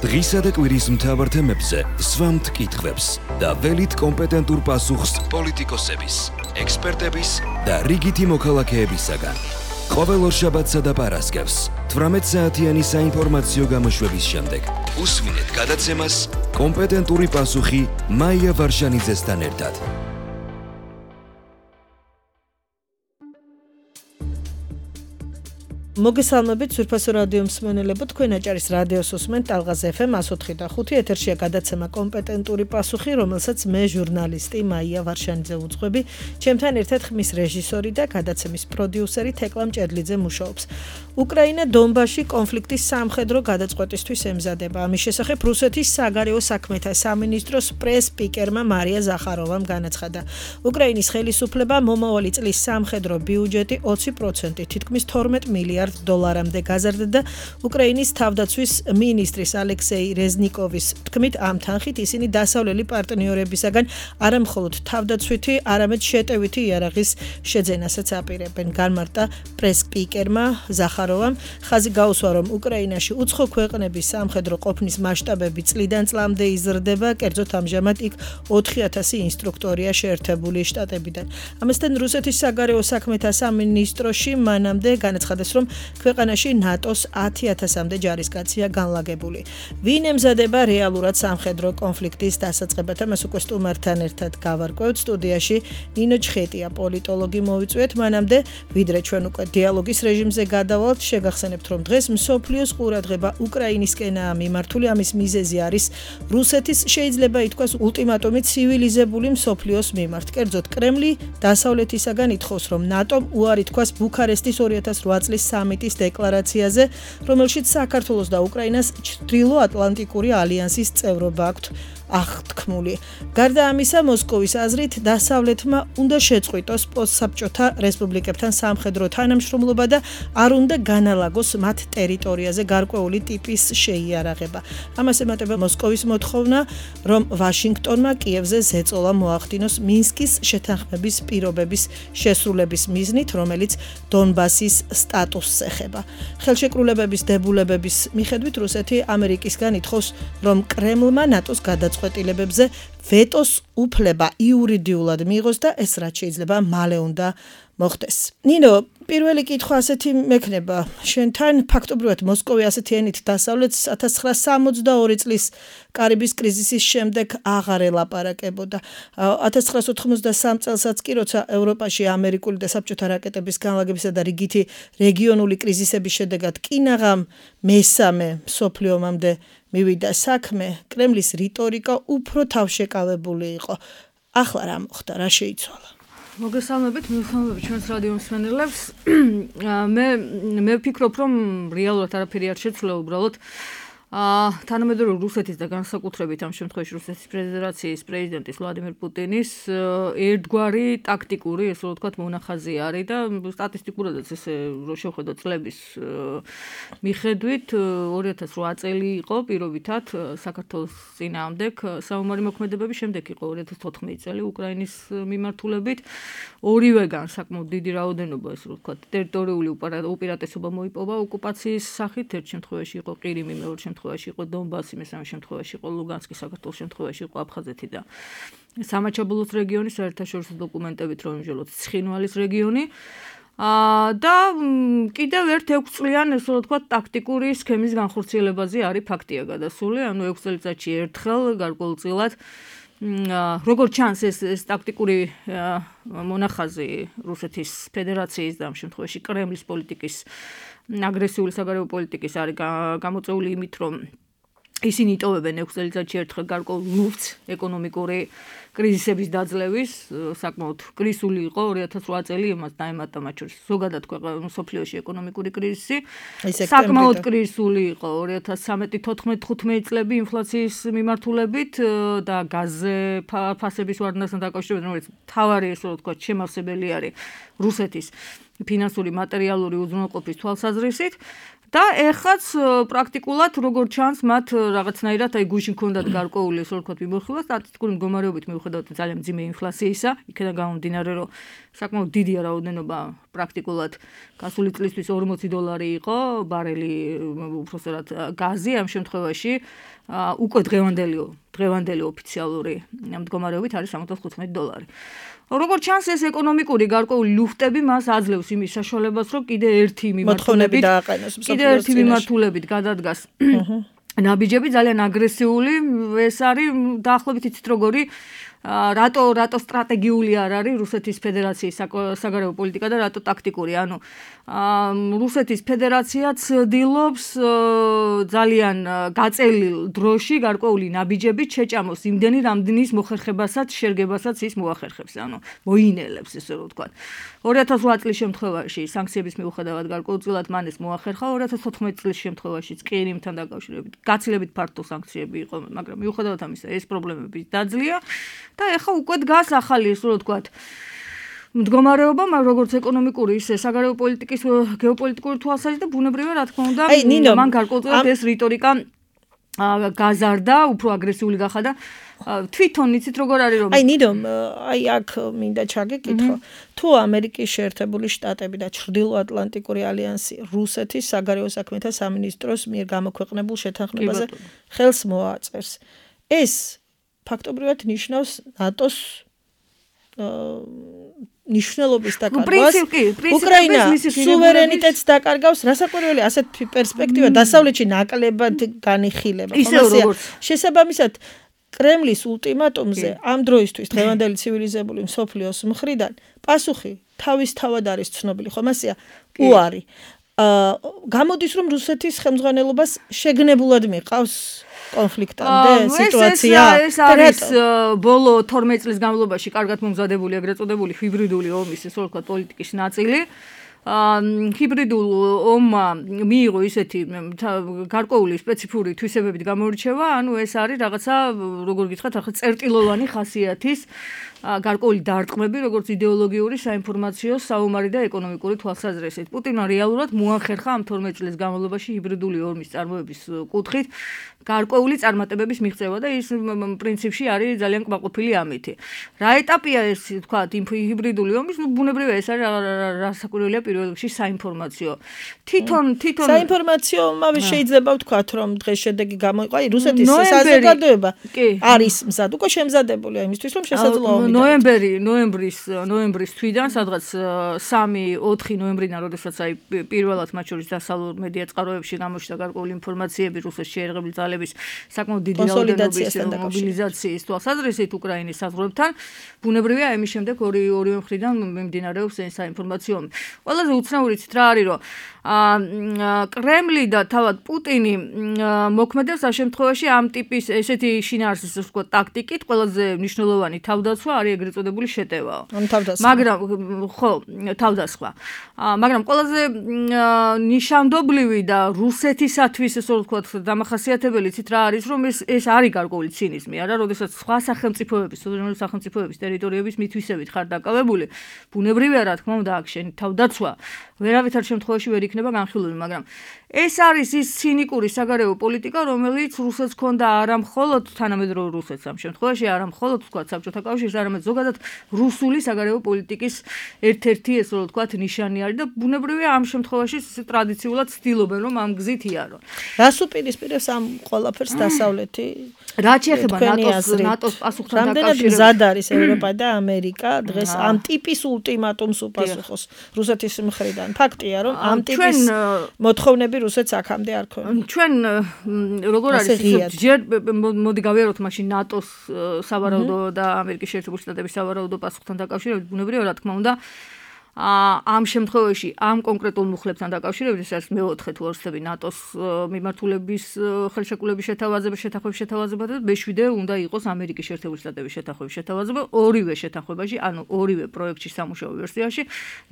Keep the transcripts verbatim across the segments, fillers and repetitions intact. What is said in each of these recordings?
დღისა და კვირის მთავარ თემებზე სვამთ კითხვებს და ველით კომპეტენტურ პასუხს პოლიტიკოსების, ექსპერტების და რიგითი მოქალაქეებისაგან. ყოველ ორშაბათსა და პარასკევს თვრამეტ საათიანი საინფორმაციო გამოშვების შემდეგ უსმინეთ გადაცემას კომპეტენტური პასუხი მაია ვარშანიძესთან ერთად. მოგესალმებით სურფასო რადიო მსმენელებო, თქვენ აჭარის რადიოს უსმენთ ტალღაზ ეფ ემ one oh three point five ეთერშია გადაცემა კომპეტენტური პასუხი, რომელსაც მე ჟურნალისტი მაია ვარშანიძე უძღვები, ჩემთან ერთად ხმის რეჟისორი და გადაცემის პროდიუსერი თეკლა მჭედლიძე მუშაობს. უკრაინა დონბასში კონფლიქტის სამხედრო გადაწყვეტისთვის ემზადება. ამის შესახებ რუსეთის საგარეო საქმეთა სამინისტროს პრეს-სპიკერმა მარია ზახაროვამ განაცხადა. უკრაინის ხელისუფლება მომავალი წლის სამხედრო ბიუჯეტი ოცი პროცენტით, თითქმის თორმეტ მილიარდ დოლარამდე გაზარდა და უკრაინის თავდაცვის მინისტრის ალექსეი რეზნიკოვის თქმით, ამ თანხით ისინი დასავლელი პარტნიორებისაგან არა მხოლოდ თავდაცვითი, არამედ შეტევითი იარაღის შეძენასაც აპირებენ. განმარტა პრეს-სპიკერმა ზახაროვამ, ხაზი გაუსვა, რომ უკრაინაში უცხო ქვეყნების სამხედრო ყოფნის მასშტაბები წლიდან წლამდე იზრდება, კერძოდ ამჟამად იქ ოთხი ათასი ინსტრუქტორია შეერთებული შტატებიდან. ამასთან რუსეთის საგარეო საქმეთა სამინისტროში მანამდე განაცხადეს, რომ ქვეყანაში ნატოს ათი ათასამდე ჯარისკაცია განლაგებული. ვინ ემზადება რეალურად სამხედრო კონფლიქტის დასაწყებად, ამას უკვე სტუმართან ერთად გავარკვევთ. სტუდიაში ნინო ჩხეტია, პოლიტოლოგი მოვიწვიეთ. მანამდე, ვიდრე ჩვენ უკვე დიალოგის რეჟიმზე გადავალთ, შეგახსენებთ, რომ დღეს მსოფლიოს ყურადღება უკრაინისკენაა მიმართული. ამის მიზეზი არის რუსეთის შეიძლება ითქვას ულტიმატუმი ცივილიზებული მსოფლიოს მიმართ. კერძოდ, კრემლი დასავლეთისაგან ითხოვს, რომ ნატომ უარი თქვას ბუქარესტის ორი ათას რვა წლის სამიტის დეკლარაციაზე, რომელშიც საქართველოს და უკრაინას ჩრდილო-ატლანტიკური ალიანსის წევრობა აქვთ აღთქმული. გარდა ამისა, მოსკოვის აზრით, დასავლეთმა უნდა შეწყვიტოს პოსტსაბჭოთა რესპუბლიკებთან სამხედრო თანამშრომლობა და არ უნდა განალაგოს მათ ტერიტორიაზე გარკვეული ტიპის შეიარაღება. ამას ემატება მოსკოვის მოთხოვნა, რომ ვაშინგტონმა კიევზე ზეწოლა მოახდინოს მინსკის შეთანხმების პირობების შესრულების მიზნით, რომელიც დონბასის სტატუსს ეხება. ხელშეკრულებების დებულებების მიხედვით რუსეთი ამერიკისგან ითხოვს, რომ კრემლმა ნატოს გადაწყვეტილებებზე ვეტოს უფლება იურიდიულად მიიღოს და ეს რაც შეიძლება მალე უნდა მოხდეს. ნინო, პირველი კითხვა ასეთი მექნება. შენთან ფაქტობრივად მოსკოვი ასეთი ენით დასავლეთს ათას ცხრაასა სამოცდაორი წლის კარიბის კრიზისის შემდეგ აღარ ელაპარაკებოდა. ათას ცხრაასა ოთხმოცდასამ წელსაც კი, როცა ევროპაში ამერიკული და საბჭოთა რაკეტების განლაგებისა და რიგითი რეგიონული კრიზისების შედეგად კინაღამ მესამე მსოფლიო ომამდე მივიდა საქმე, კრემლის რიტორიკა უფრო თავშეკავებული იყო. ახლა რა მოხდა, რა შეიცვალა? მოგესალმებით, მოგესალმებით ჩვენს რადიო მსმენელებს. მე მე ვფიქრობ, რომ რეალურად არაფერი არ შეცვლა, უბრალოდ აა თანამედროვე რუსეთის და განსაკუთრებით ამ შემთხვევაში რუსეთის ფედერაციის პრეზიდენტის ვლადიმერ პუტინის ერთგვარი ტაქტიკური, ესე რომ ვთქვათ, მონახაზი არის და სტატისტიკურადაც ესე რო შევხედოთ წლების მიხედვით ორი ათას რვა წელი იყო პირობითად საქართველოს წინააღმდეგ საომარი მოქმედებების, შემდეგ იყო ორი ათას თოთხმეტი წელი უკრაინის მიმართულებით. ორივეგან საკმაოდ დიდი რაოდენობა, ესე რომ ვთქვათ, ტერიტორიული უპირატესობა მოიპოვა ოკუპაციის სახით. ერთ შემთხვევაში იყო ყირიმი, მეორე შემთხვევაში იყო დონბასი, მესამე შემთხვევაში იყო ლუგანსკი, საქართველოს შემთხვევაში იყო აფხაზეთი და სამაჩაბლოს რეგიონი, საერთაშორისო დოკუმენტებით რომ ვიმჟელოთ ცხინვალის რეგიონი. აა და კიდევ ერთ ექვს წლიან, ესე რომ ვთქვათ, ტაქტიკური სქემის განხორციელებაზე არის ფაქტია გადასული, ანუ ექვს წელიწადში ერთხელ გარკვეულწილად როგორც ჩანს ეს ეს ტაქტიკური მონახაზი რუსეთის ფედერაციის და ამ შემთხვევაში კრემლის პოლიტიკის აგრესიული საგარეო პოლიტიკის არის გამოწეული იმით, რომ ისინი იტოვებენ ექვს წელიწადში ერთხელ გარკვეულ ლუფტს ეკონომიკური კრიზისების დაძლევის, საკმაოდ კრიზისული იყო ორი ათას რვა წელი, იმას დაემატა მათ შორის ზოგადად ქვეყნის მსოფლიოში ეკონომიკური კრიზისი. საკმაოდ კრიზისული იყო ორი ათას ცხრამეტი თოთხმეტი ხუთმეტი წლები ინფლაციის მიმართულებით და გაზზე ფასების ვარდნასთან დაკავშირებით, რომელიც მთავარი, ესე რომ ვთქვათ, შემავსებელი არის რუსეთის ფინანსური მატერიალური უზრუნველყოფის თვალსაზრისით. და ეხაც პრაქტიკულად როგორც ჩანს მათ რაღაცნაირად აი გუშინ ქონდათ გარკვეული ესე ვთქვათ მიმოხილვა სტატისტიკური მდგომარეობით მიუხედავად ძალიან მძიმე ინფლაციისა იქიდან გამომდინარე რომ საკმაოდ დიდია რაოდენობა პრაქტიკულად გასული წლისთვის ორმოცი დოლარი იყო ბარელი უბრალოდ გაზი ამ შემთხვევაში უკვე დღევანდელი დღევანდელი ოფიციალური მდგომარეობით არის სამოცდაოთხ დოლარი. როგორც ჩანს ეს ეკონომიკური გარკვეული ლუფტები მას აძლევს იმის საშუალებას რომ კიდე ერთი მიმართულებით კიდე ერთი მიმართულებით გადადგას ნაბიჯები ძალიან აგრესიული ეს არის დაახლოებით იცით როგორი რატო რატო სტრატეგიული არ არის რუსეთის ფედერაციის საგარეო პოლიტიკა და რატო ტაქტიკური ანუ რუსეთის ფედერაცია ცდილობს ძალიან გაწელილ დროში გარკვეული ნაბიჯებით შეჭამოს იმდენი რამდენის მოხერხებასაც შერგებასაც ის მოახერხებს ანუ მოინელებს ესე რომ ვთქვათ ორი ათას ოთხ წლის შემთხვევაში სანქციების მიუხედავად გარკვეულწილად მან ეს მოახერხა ორი ათას ოთხმეტ წლის შემთხვევაში ყირიმთან დაკავშირებით გაცილებით ფართო სანქციები იყო მაგრამ მიუხედავად ამისა ეს პრობლემები დაძლია და ეხა უკვე დგას ახალი ისე რომ ვთქვათ მდგომარეობა, როგორც ეკონომიკური, ისე საგარეო პოლიტიკის გეოპოლიტიკური თვალსაზრისით და ბუნებრივია რა თქმა უნდა, მან გარკვეულწილად ეს რიტორიკა გაზარდა, უფრო აგრესიული გახადა. თვითონ იცით როგორ არის რომ აი ნინო, აი აქ მინდა ჩაგეკითხო, თუ ამერიკის შეერთებული შტატები და ჩრდილოატლანტიკური ალიანსი რუსეთის საგარეო საქმეთა სამინისტროს მიერ გამოქვეყნებულ შეთანხმებაზე ხელს მოაწერს. ეს ფაქტობრივად ნიშნავს ნატოს ნიშნულობის დაკარგვას უკრაინა სუვერენიტეტს დაკარგავს რასაკვირველი ასეთ პერსპექტივა დასავლეთში ნაკლებად განიხილება შესაბამისად კრემლის ულტიმატუმზე ამ დროისთვის დღევანდელი ცივილიზებული მსოფლიოს მხრიდან პასუხი თავისთავად არის ცნობილი ხომ ასეა უარი გამოდის რომ რუსეთის ხელმძღვანელობას შეგნებულად მიყავს კონფლიქტამდე სიტუაცია ეს არის ბოლო თორმეტ წლის განმავლობაში კარგად მომზადებული ეგრეთ წოდებული ჰიბრიდული ომის ესე ვთქვათ პოლიტიკის ნაწილი ჰიბრიდულ ომმა მიიღო ისეთი გარკვეული სპეციფიური თვისებებით გამოირჩევა ანუ ეს არის რაღაცა როგორ გითხრათ ახლა წერტილოვანი ხასიათის გარკვეული დარტყმები როგორც იდეოლოგიური საინფორმაციო საომარი და ეკონომიკური თვალსაზრისით პუტინმა რეალურად მოახერხა ამ თორმეტ წლის განმავლობაში ჰიბრიდული ომის წარმოების კუთხით გარკვეული წარმატებების მიღწევა და ის პრინციპში არის ძალიან კმაყოფილი ამითი. რა ეტაპია ეს თქვათ ჰიბრიდული ომის ნუ ბუნებრივია ეს არის რასაკვირველია პირველ რიგში საინფორმაციო. თვითონ თვითონ საინფორმაციო ამავე შეიძლება ვთქვათ რომ დღეს შედეგი გამოიყო აი რუსეთის საზოგადოება არის მზად უკვე შემზადებული აი იმისთვის რომ შესაძლოა ნოემბერი ნოემბრის ნოემბრის თვიდან სადღაც სამი ოთხი ნოემბრიდან როდესაც აი პირველად მათ შორის დასავლურ მედია წყაროებში გამოჩნდა გარკვეული ინფორმაციები რუსეთის შეერაღებული ძალების საკმაოდ დიდი რაოდენობის მობილიზაციის თვალსაზრისით უკრაინის საზღვრებთან ბუნებრივია ამის შემდეგ ორი ორივე მხრიდან მიმდინარეობს ეს საინფორმაციო ომი. ყველაზე უცნაურიც რა არის რომ კრემლი და თავად პუტინი მოქმედებს ამ შემთხვევაში ამ ტიპის ესეთი შინაარსის ვთქვათ ტაქტიკით ყველაზე მნიშვნელოვანი თავდაცვა არის ეგრეთ წოდებული შეტევაო. მაგრამ ხო, თავდასხმა. მაგრამ ყველაზე ნიშანდობლივი და რუსეთისათვის ესე ვთქვათ დამახასიათებელი ცით რა არის რომ ეს ეს არის გარკვეული ცინიზმი, არა, როდესაც სხვა სახელმწიფოების, სუვერენული სახელმწიფოების ტერიტორიების მითვისებით ხარ დაკავებული, ბუნებრივია რა თქმა უნდა აქ შენი თავდაცვა ვერავითარ შემთხვევაში ვერ იქნება განხილული, მაგრამ ეს არის ის ცინიკური საგარეო პოლიტიკა, რომელიც რუსეთს ჰქონდა არა მხოლოდ თანამედროვე რუსეთს ამ შემთხვევაში, არა მხოლოდ ვთქვათ საბჭოთა კავშირს, არამედ ზოგადად რუსული საგარეო პოლიტიკის ერთ-ერთი ესე რომ ვთქვათ ნიშანი არის და ბუნებრივია ამ შემთხვევაში ტრადიციულად ცდილობენ რომ ამ გზით იარო. რას უპირისპირებს ამ ყველაფერს დასავლეთი? რაც შეეხება ნატოს ნატოს პასუხთან დაკავშირებით. მზად არის ევროპა და ამერიკა დღეს ამ ტიპის ულტიმატუმს უპასუხოს რუსეთის მხრიდან. ფაქტია რომ ამ ტიპის მოთხოვნები რუსეთს აქამდე არ ქონია. ჩვენ როგორ არის ჯერ მოდი გავიაროთ მაშინ ნატოს სავარაუდო და ამერიკის შეერთებული შტატების სავარაუდო პასუხთან დაკავშირებით ბუნებრივია რა თქმა უნდა ამ შემთხვევაში ამ კონკრეტულ მუხლებთან დაკავშირებით ეს არის მეოთხე თუ ორსები ნატოს მიმართულების ხელშეკრულების შეთავაზება შეთანხმების შეთავაზება და მეშვიდე უნდა იყოს ამერიკის შეერთებული შტატების შეთანხმების შეთავაზება ორივე შეთანხმებაში ანუ ორივე პროექტში სამუშაო ვერსიაში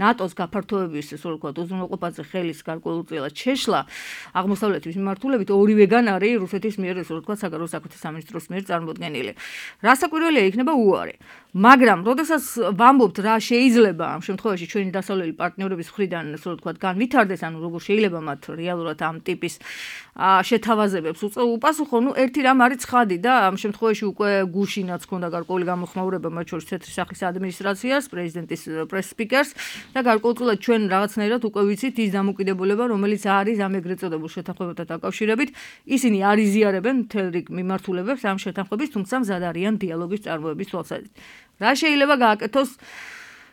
ნატოს გაფართოების ესე ვთქვათ უზრუნველყოფაზე ხელის გარკვეულწილად შეშლა აღმოსავლეთის მიმართულებით ორივეგან არის რუსეთის მიერ ესე ვთქვათ საგარეო საქმეთა სამინისტროს მიერ წარმოდგენილი. რასაკვირველია იქნება უარი. მაგრამ როდესაც ვამბობთ რა შეიძლება ამ შემთხვევაში ჩვენი დასავლელი პარტნიორების მხრიდან ასე რომ ვთქვათ განვითარდეს, ანუ როგორ შეიძლება მათ რეალურად ამ ტიპის შეთავაზებებს უპასუხო, ნუ ერთი რამ არის ცხადი და ამ შემთხვევაში უკვე გუშინაც ქონდა გარკვეული გამოხმაურება მათ შორის თეთრი სახლის ადმინისტრაციას, პრეზიდენტის პრეს-სპიკერს და გარკვეულწილად ჩვენ რაღაცნაირად უკვე ვიცით ის დამოკიდებულება, რომელიც არის ამ ეგრეთ წოდებულ შეთანხმებთან დაკავშირებით, ისინი არ იზიარებენ მთელ რიგ მიმართულებებს ამ შეთანხმების, თუმცა მზად არიან დიალოგის წარმოების თვალსაზრისით. რა შეიძლება გააკეთოს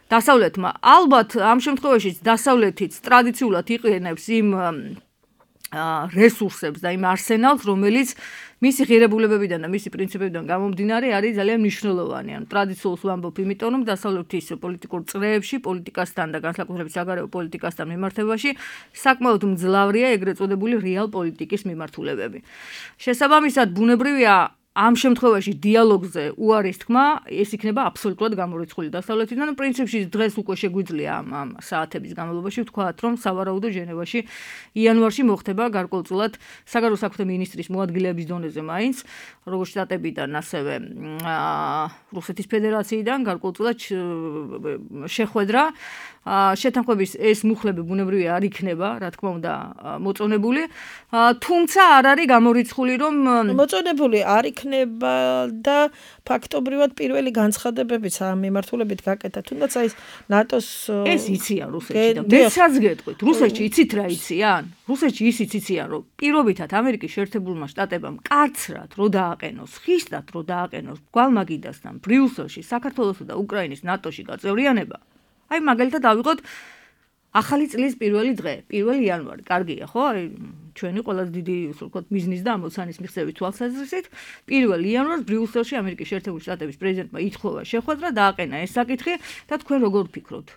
დასავლეთმა? ალბათ ამ შემთხვევაში დასავლეთიც ტრადიციულად იყენებს იმ რესურსებს და იმ არსენალს, რომელიც მისი ღირებულებებიდან და მისი პრინციპებიდან გამომდინარე არის ძალიან მნიშვნელოვანი. ანუ ტრადიციულს ვამბობ, იმიტომ რომ დასავლეთის პოლიტიკურ წრეებში, პოლიტიკასთან და განსაკუთრებით საგარეო პოლიტიკასთან მიმართებაში საკმაოდ მძლავრია ეგრეთ წოდებული რეალ პოლიტიკის მიმართულებები. შესაბამისად, ბუნებრივია ამ შემთხვევაში დიალოგზე უარის თქმა ეს იქნება აბსოლუტურად გამორიცხული დასავლეთიდან. პრინციპში დღეს უკვე შეგვიძლია ამ ამ საათების განმავლობაში ვთქვათ, რომ სავარაუდო ჟენევაში იანვარში მოხდება გარკვეულწილად საგარეო საქმეთა მინისტრის მოადგილეების დონეზე მაინც, როგორც შტატებიდან, ასევე რუსეთის ფედერაციიდან გარკვეულწილად შეხვედრა. შეთანხმების ეს მუხლები ბუნებრივია არ იქნება, რა თქმა უნდა, მოწონებული, თუმცა არ არის გამორიცხული, რომ მოწონებული არ იქნება და ფაქტობრივად პირველი განცხადებებიც ამ მიმართულებით გაკეთა, თუნდაც აი ნატოს ეს იციან რუსეთში და მეცაც გეტყვით, რუსეთში იცით რა იციან? რუსეთში ისიც იციან, რომ პირობითად ამერიკის შეერთებულმა შტატებამ კაცრად რო დააყენოს, ხისტად რო დააყენოს გვალმაგიდასთან ბრიუსელში საქართველოსა და უკრაინის ნატოში გაწევრიანება. აი მაგალითად ავიღოთ ახალი წლის პირველი დღე, პირველი იანვარი, კარგია, ხო? აი ჩვენი ყველაზე დიდი, ასე ვთქვათ, მიზნის და ამოცანის მიღწევის თვალსაზრისით, პირველი იანვარს ბრიუსელში ამერიკის შეერთებული შტატების პრეზიდენტმა ითხოვა შეხვედრა, დააყენა ეს საკითხი და თქვენ როგორ ვფიქრობთ?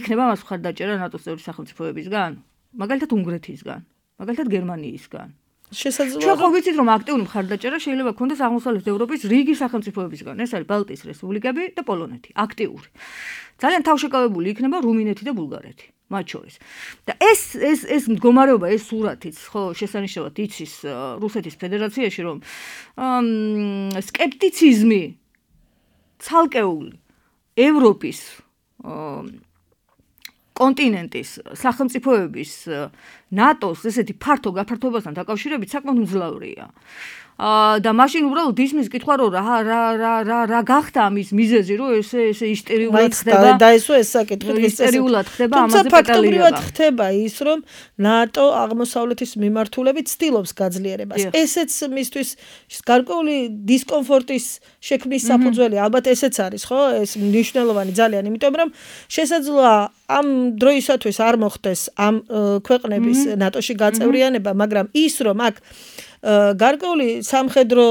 ექნება მას მხარდაჭერა ნატოს წევრი სახელმწიფოებისგან? მაგალითად უნგრეთისგან, მაგალითად გერმანიისგან. შესაძლოა ჩვენ ხო ვიცით რომ აქტიური მხარდაჭერა შეიძლება ქონდეს აღმოსავლეთ ევროპის რიგი სახელმწიფოებისგან. ეს არის ბალტიის რესპუბლიკები და პოლონეთი, აქტიური. ძალიან თავშეკავებული იქნება რუმინეთი და ბულგარეთი, მათ შორის. და ეს ეს ეს მდგომარეობა, ეს სურათიც ხო შესანიშნავად იცის რუსეთის ფედერაციაში, რომ სკეპტიციზმი ცალკეული ევროპის კონტინენტის სახელმწიფოების ნატოს ესეთი ფართო გაფართოებასთან დაკავშირებით საკმაოდ მძლავრია. და მაშინ უბრალოდ ისმის კითხვა რომ რა რა რა რა რა გახდა ამის მიზეზი რომ ესე ესე ისტერიულად ხდება და ესო ეს საკითხი ისტერიულად ხდება ამაზე პეტალიერება. თუმცა ფაქტობრივად ხდება ის რომ ნატო აღმოსავლეთის მიმართულებით ცდილობს გაძლიერებას. ესეც მისთვის გარკვეული დისკომფორტის შექმნის საფუძველი ალბათ ესეც არის, ხო? ეს მნიშვნელოვანი ძალიან, იმიტომ რომ შესაძლოა ამ დროისათვის არ მოხდეს ამ ქვეყნების ნატოში გაწევრიანება, მაგრამ ის რომ აქ გარკვეული სამხედრო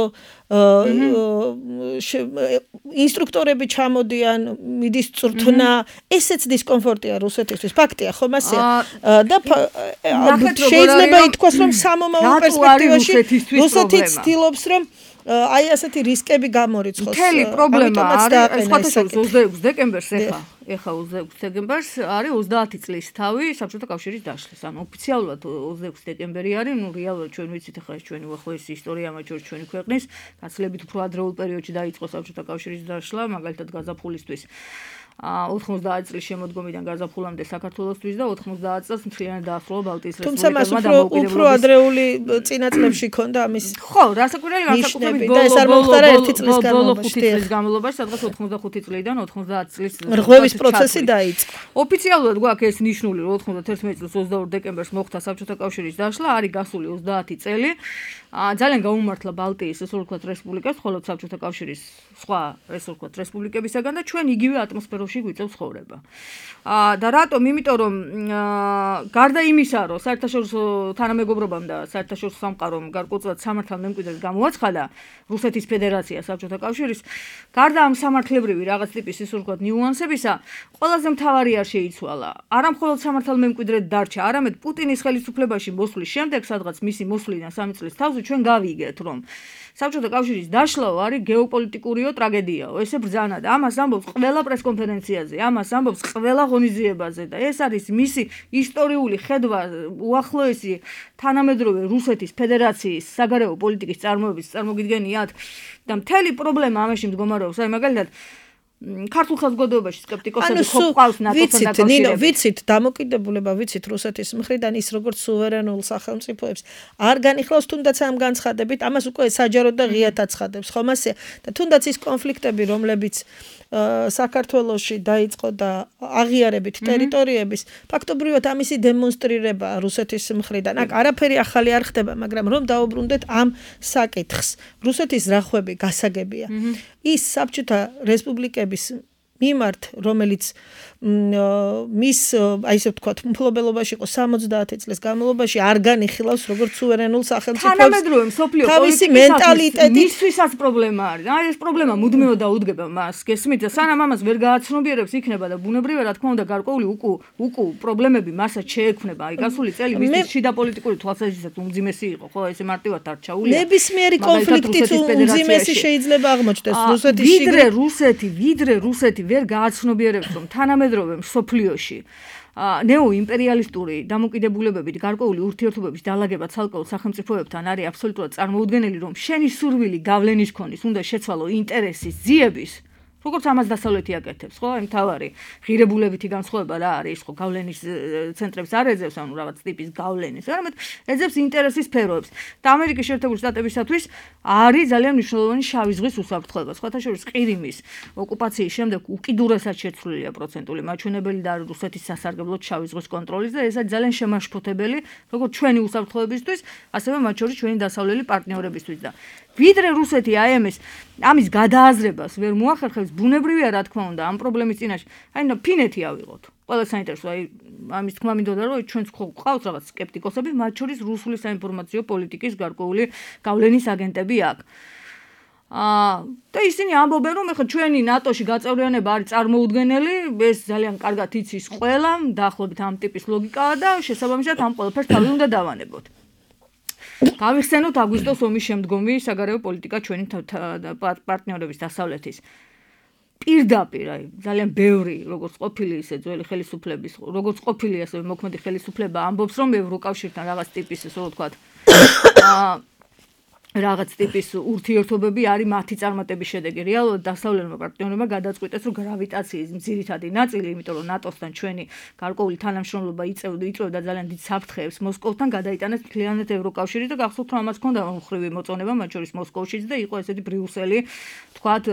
ინსტრუქტორები ჩამოდიან, მიდის წვრთნა, ესეც დისკომფორტია რუსეთისთვის, ფაქტია, ხომ ასეა? და შეიძლება ითქვას, რომ სამომავლო პერსპექტივაში რუსეთი ცდილობს, რომ აი ასეთი რისკები გამორიცხოს. მთელი პრობლემა არის ოცდაექვსი დეკემბერს ეხა, ეხა ოცდაექვსი დეკემბერს არის ოცდაათი წლის თავი საბჭოთა კავშირის დაშლის. ანუ ოფიციალურად ოცდაექვსი დეკემბერი არის, ნუ რეალურად ჩვენ ვიცით ეხა ეს ჩვენი უახლოესი ისტორია მათ შორის ჩვენი ქვეყნის, გაცილებით უფრო ადრეულ პერიოდში დაიწყო საბჭოთა კავშირის დაშლა, მაგალითად გაზაფხულისთვის. ოთხმოცდაათი წლის შემოდგომიდან გაზაფხულამდე საქართველოსთვის და ოთხმოცდაათი წელს მთლიანად დაასრულა ბალტიის რესპუბლიკებმა დამოუკიდებლობის. უფრო ადრეული წინა წლებში ქონდა ამის. ხო, რასაკვირველი განსაკუთრებით და ეს არ მოხდა ერთი წლის განმავლობაში, სადღაც ოთხმოცდახუთი წლიდან ოთხმოცდაათი წლის რღვევის პროცესი დაიწყო. ოფიციალურად გვაქვს ეს ნიშნული, რომ ოცდაათი წლის ოცდაორი დეკემბერს მოხდა საბჭოთა კავშირის დაშლა, არის გასული ოცდაათი წელი. ძალიან გაუმართლა ბალტიის ესე ვთქვათ რესპუბლიკას, ხოლო საბჭოთა კავშირის სხვა ესე ვთქვათ რესპუბლიკებისაგან და ჩვენ იგივე ატმოსფეროში გვიწევს ცხოვრება. და რატომ? იმიტომ რომ გარდა იმისა, რომ საერთაშორისო თანამეგობრობამ და საერთაშორისო სამყარომ გარკვეულწილად სამართალმემკვიდრედ გამოაცხადა რუსეთის ფედერაცია საბჭოთა კავშირის, გარდა ამ სამართლებრივი რაღაც ტიპის ესე ვთქვათ ნიუანსებისა, ყველაზე მთავარი არ შეიცვალა. არა მხოლოდ სამართალმემკვიდრედ დარჩა, არამედ პუტინის ხელისუფლებაში მოსვლის შემდეგ, სადღაც მისი მოსვლიდან სამი წლის თავზე ჩვენ გავიგეთ, რომ საბჭოთა კავშირის დაშლა არის გეოპოლიტიკურიო ტრაგედიაო, ესე ბრძანა და ამას ამბობს ყველა პრესკონფერენციაში პროვინციაზე. ამას ამბობს ყველა ღონისძიებაზე და ეს არის მისი ისტორიული ხედვა უახლოესი თანამედროვე რუსეთის ფედერაციის საგარეო პოლიტიკის წარმოების წარმოგიდგენიათ და მთელი პრობლემა ამაში მდგომარეობს. აი მაგალითად ქართულ საზოგადოებაში სკეპტიკოსები ხო ყავს ნატოსთან დაკავშირებით. ნინო, ვიცით, დამოკიდებულება ვიცით რუსეთის მხრიდან ის როგორც სუვერენულ სახელმწიფოებს არ განიხილავს თუნდაც ამ განცხადებით, ამას უკვე საჯაროდ და ღიად აცხადებს, ხომ ასეა? და თუნდაც ის კონფლიქტები, რომლებიც საქართველოში დაიწყო და აღიარებით ტერიტორიების, ფაქტობრივად ამისი დემონსტრირება რუსეთის მხრიდან. აქ არაფერი ახალი არ ხდება, მაგრამ რომ დაუბრუნდეთ ამ საკითხს. რუსეთის რახვები გასაგებია. ის საბჭოთა რესპუბლიკების მიმართ, რომელიც მის, აი ესე ვთქვათ, მფლობელობაში იყო სამოცდაათი წლის განმავლობაში, არ განიხილავს როგორც სუვერენულ სახელმწიფოებს. თანამედროვე მსოფლიო პოლიტიკისათვის მისთვისაც პრობლემა არის. აი ეს პრობლემა მუდმივად დაუდგება მას. გესმით და სანამ ამას ვერ გააცნობიერებს იქნება და ბუნებრივად რა თქმა უნდა გარკვეული უკუ უკუ პრობლემები მასაც შეექმნება. აი გასული წელი მისთვის შიდა პოლიტიკური თვალსაზრისით უმძიმესი იყო, ხო, ესე მარტივად არ ჩაულია. ნებისმიერი კონფლიქტით უმძიმესი შეიძლება აღმოჩნდეს რუსეთის შიგნით. ვიდრე რუსეთი, ვიდრე რუსეთი ვერ გააცნობიერებს რომ თანამედროვე მსოფლიოში ნეოიმპერიალისტური დამოკიდებულებებით გარკვეული ურთიერთობების დალაგება ცალკეულ სახელმწიფოებთან არის აბსოლუტურად წარმოუდგენელი, რომ შენი სურვილი გავლენის ქონის უნდა შეცვალო ინტერესის ძიების, როგორც ამას დასავლეთი აკეთებს, ხო? აი მთავარი ღირებულებითი განსხვავება რა არის, ხო, გავლენის ცენტრებს არ ეძებს, ანუ რაღაც ტიპის გავლენის, არამედ ეძებს ინტერესის სფეროებს. და ამერიკის შეერთებული შტატებისათვის არის ძალიან მნიშვნელოვანი შავი ზღვის უსაფრთხოება. სხვათა შორის ყირიმის ოკუპაციის შემდეგ უკიდურესად შეცვლილია პროცენტული მაჩვენებელი და რუსეთის სასარგებლოდ შავი ზღვის კონტროლის და ეს არის ძალიან შემაშფოთებელი, როგორც ჩვენი უსაფრთხოებისთვის, ასევე მათ შორის ჩვენი დასავლელი პარტნიორებისთვის და ვიდრე რუსეთი აი ამის ამის გადააზრებას ვერ მოახერხებს, ბუნებრივია რა თქმა უნდა ამ პრობლემის წინაშე. აი ფინეთი ავიღოთ. ყველა საინტერესო, აი ამის თქმა მინდოდა რომ ჩვენც ყავს რაღაც სკეპტიკოსები, მათ შორის რუსული საინფორმაციო პოლიტიკის გარკვეული გავლენის აგენტები აქვს. აა და ისინი ამბობენ რომ ეხლა ჩვენი ნატოში გაწევრიანება არის წარმოუდგენელი, ეს ძალიან კარგად იცის ყველა, დაახლოებით ამ ტიპის ლოგიკაა და შესაბამისად ამ ყველაფერს თავი უნდა დავანებოთ. გავიხსენოთ აგვისტოს ომის შემდგომი საგარეო პოლიტიკა ჩვენი პარტნიორების დასავლეთის. პირდაპირ, აი, ძალიან ბევრი, როგორც ყოფილი ისე ძველი ხელისუფლების, როგორც ყოფილი ასევე მოქმედი ხელისუფლება ამბობს, რომ ევროკავშირთან რაღაც ტიპის, ესე რომ ვთქვათ, აა რაღაც ტიპის ურთიერთობები არის მათი წარმატების შედეგი. რეალურად დასავლელმა პარტნიორებმა გადაწყვიტეს, რომ გრავიტაციის ძირითადი ნაწილი, იმიტომ რომ ნატოსთან ჩვენი გარკვეული თანამშრომლობა იწევდა, იწევდა ძალიან დიდ საფრთხეებს მოსკოვთან, გადაიტანეს მთლიანად ევროკავშირი და გახსოვთ, რომ ამას ჰქონდა მხრივი მოწონება, მათ შორის მოსკოვშიც და იყო ესეთი ბრიუსელი, თქვათ